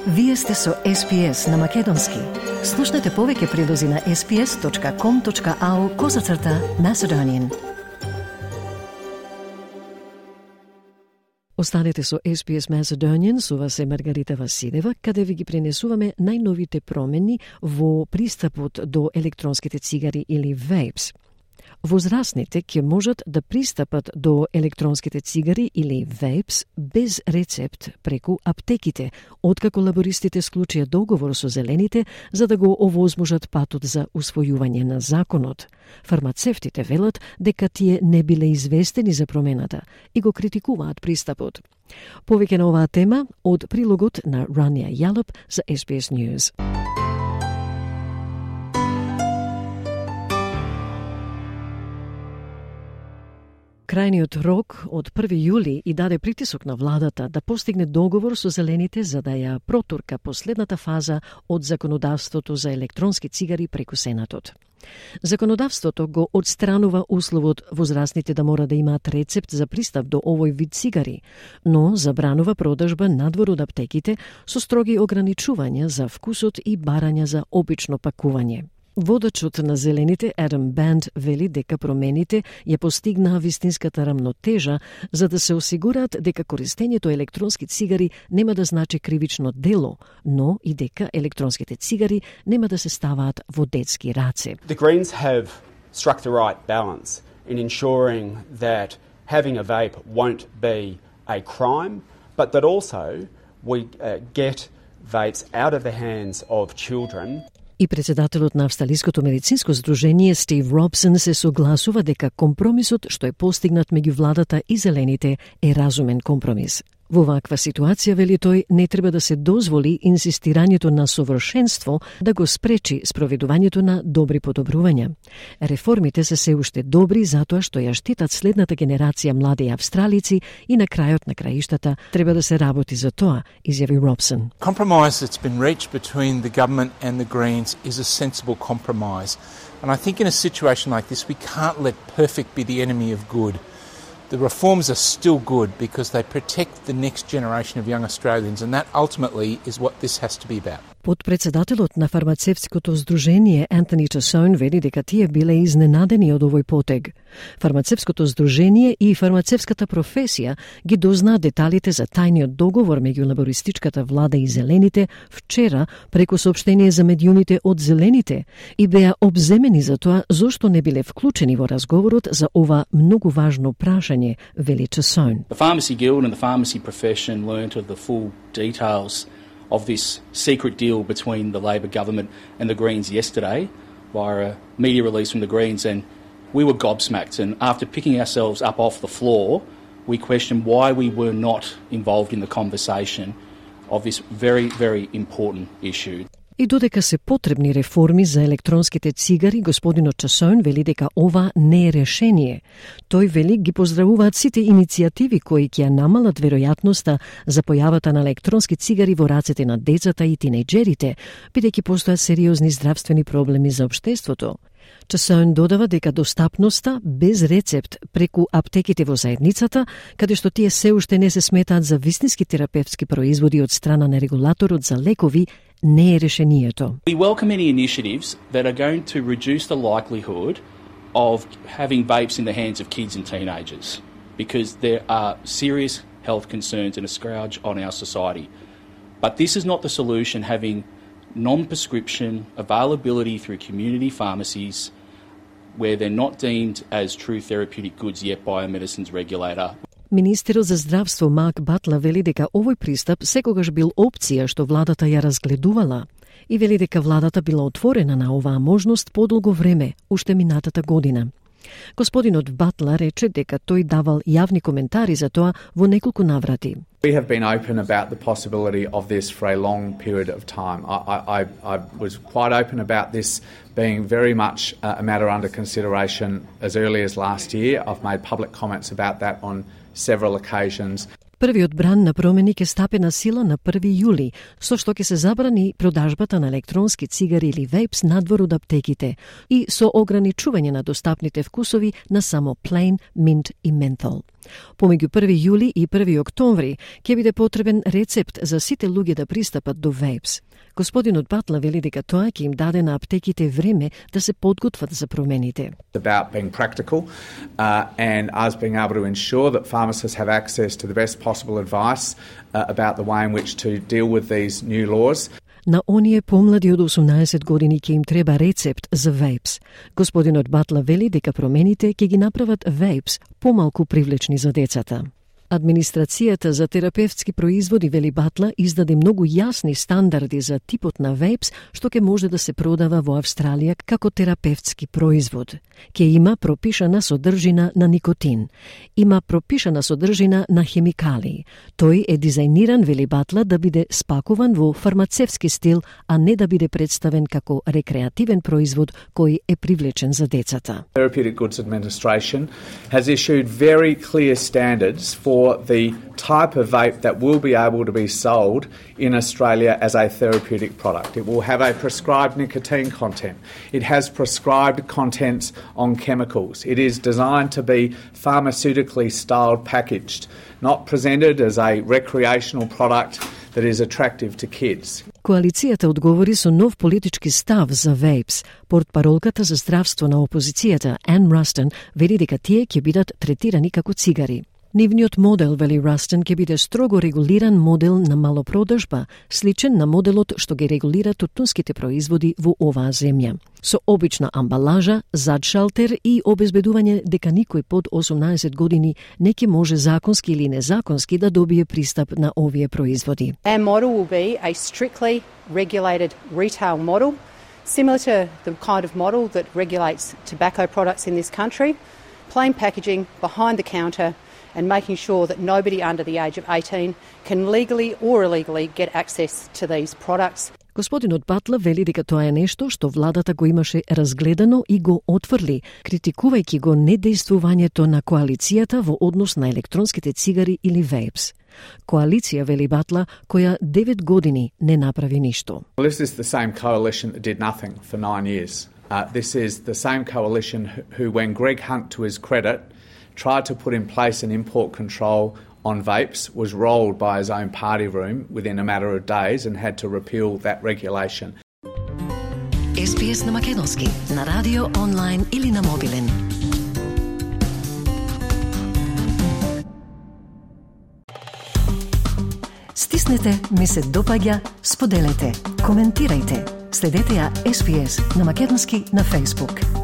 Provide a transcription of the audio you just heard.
Вие сте со SPS на Македонски. Слушнете повеќе прилози на sps.com.au/Macedonian. Останете со SPS Macedonian, со вас е Маргарита Василева, каде ви ги пренесуваме најновите промени во пристапот до електронските цигари или vapes. Возрастните ќе можат да пристапат до електронските цигари или vapes без рецепт преку аптеките, откако лабористите склучија договор со зелените за да го овозможат патот за усвојување на законот. Фармацевтите велат дека тие не биле известени за промената и го критикуваат пристапот. Повеќе на оваа тема од прилогот на Rania Yallop за SBS News. Крајниот рок од 1 јули и даде притисок на владата да постигне договор со зелените за да ја протурка последната фаза од законодавството за електронски цигари преку Сенатот. Законодавството го отстранува условот возрастните да мора да имаат рецепт за пристап до овој вид цигари, но забранува продажба надвор од аптеките со строги ограничувања за вкусот и барања за обично пакување. Водачот на зелените Адам Банд вели дека промените ја постигнаа вистинската рамнотежа за да се осигураат дека користењето електронски цигари нема да значи кривично дело, но и дека електронските цигари нема да се ставаат во детски раце. The Greens have struck the right balance in ensuring that having a vape won't be a crime, but that also we get vapes out of the hands of children. И председателот на Австралиското медицинско здружение Стив Робсон се согласува дека компромисот што е постигнат меѓу владата и зелените е разумен компромис. Во ваква ситуација, вели тој, не треба да се дозволи инсистирањето на совршенство да го спречи спроведувањето на добри подобрувања. Реформите се се уште добри затоа што ја штитат следната генерација млади австралици и на крајот на краиштата треба да се работи за тоа, изјави Робсон. Compromise that's been reached between the government and the Greens is a sensible compromise. And I think in a situation like this we can't let perfect be the enemy of good. The reforms are still good because they protect the next generation of young Australians, and that ultimately is what this has to be about. Подпредседателот на фармацевтското здружение Антони Часоун вели дека тие биле изненадени од овој потег. Фармацевтското здружение и фармацевтската професија ги дознаа деталите за тајниот договор меѓу лабористичката влада и зелените вчера преку соопштение за медиумите од зелените и беа обземени за тоа зошто не биле вклучени во разговорот за ова многу важно прашање, вели Часоун. The Pharmacy Guild and the pharmacy profession learnt of the full details of this secret deal between the Labor government and the Greens yesterday via a media release from the Greens, and we were gobsmacked. And after picking ourselves up off the floor, we questioned why we were not involved in the conversation of this very, very important issue. И додека се потребни реформи за електронските цигари, господинот Часоун вели дека ова не е решение. Тој вели ги поздравуваат сите иницијативи кои ќе намалат веројатноста за појавата на електронски цигари во рацете на децата и тинејџерите, бидејќи постојат сериозни здравствени проблеми за општеството. Часоун додава дека достапноста без рецепт преку аптеките во заедницата, каде што тие се уште не се сметаат за вистински терапевтски производи од страна на регулаторот за лекови, не е решението. We welcome any initiatives that are going to reduce the likelihood of having vapes in the hands of kids and teenagers, because there are serious health concerns and a scourge on our society. But this is not the solution, having non-prescription availability through community pharmacies where they're not deemed as true therapeutic goods yet by a medicines regulator. Министерот за здравство Марк Батлер вели дека овој пристап секогаш бил опција што владата ја разгледувала и вели дека владата била отворена на оваа можност подолго време, уште минатата година. Господинот Батлер рече дека тој давал јавни коментари за тоа во неколку наврати. We have been open about the possibility of this for a long period of time. I was quite open about this being very much a matter under consideration as early as last year. I've made public comments about that on several occasions. Првиот бран на промени ќе стапи на сила на 1 јули, со што ќе се забрани продажбата на електронски цигари или вейпс надвор од аптеките и со ограничување на достапните вкусови на само plain, mint и menthol. Помеѓу 1 јули и 1 октомври ќе биде потребен рецепт за сите луѓе да пристапат до вейпс. Господинот Батла вели дека тоа ќе им даде на аптеките време да се подготват за промените. About being practical and us being able to ensure that pharmacists have access to the best possible advice about the way in which to deal with these new laws. На оние помлади од 18 години ќе им треба рецепт за вейпс. Господинот Батла вели дека промените ќе ги направат вейпс помалку привлечни за децата. Администрацијата за терапевтски производи, вели Батла, издаде многу јасни стандарди за типот на вейпс што ќе може да се продава во Австралија како терапевтски производ. Ќе има пропишана содржина на никотин. Има пропишана содржина на хемикали. Тој е дизајниран, вели Батла, да биде спакуван во фармацевски стил, а не да биде представен како рекреативен производ кој е привлечен за децата. Therapeutic Goods Administration has issued very clear standards for the type of vape that will be able to be sold in Australia as a therapeutic product. It will have a prescribed nicotine content. It has prescribed contents on chemicals. It is designed to be pharmaceutically styled packaged, not presented as a recreational product that is attractive to kids. Коалицијата одговори со нов политички став за вейпс. Портпаролката за здравство на опозицијата, Ан Растен, вели дека тие ќе бидат третирани како цигари. Нивниот модел, вели Растен, ќе биде строго регулиран модел на малопродажба, сличен на моделот што ги регулира тутунските производи во оваа земја. Со обична амбалажа, зад шалтер и обезбедување дека никој под 18 години не ќе може законски или незаконски да добие пристап на овие производи. Our model will be a strictly regulated retail model, similar to the kind of model that regulates tobacco products in this country, plain packaging, behind the counter, and making sure that nobody under the age of 18 can legally or illegally get access to these products. Господинот Батла вели дека тоа е нешто што владата го имаше разгледано и го отврли, критикувајќи го недејствувањето на коалицијата во однос на електронските цигари или вейпс. Коалиција, вели Батла, која 9 години не направи ништо. Well, this is the same coalition that did nothing for 9 years. This is the same coalition who, when Greg Hunt, to his credit, tried to put in place an import control on vapes, was rolled by his own party room within a matter of days and had to repeal that regulation. SBS на македонски, на радио, онлайн или на мобилен. Стиснете, ми се допаѓа, споделете, коментирајте. Следете ја SBS на македонски на Facebook.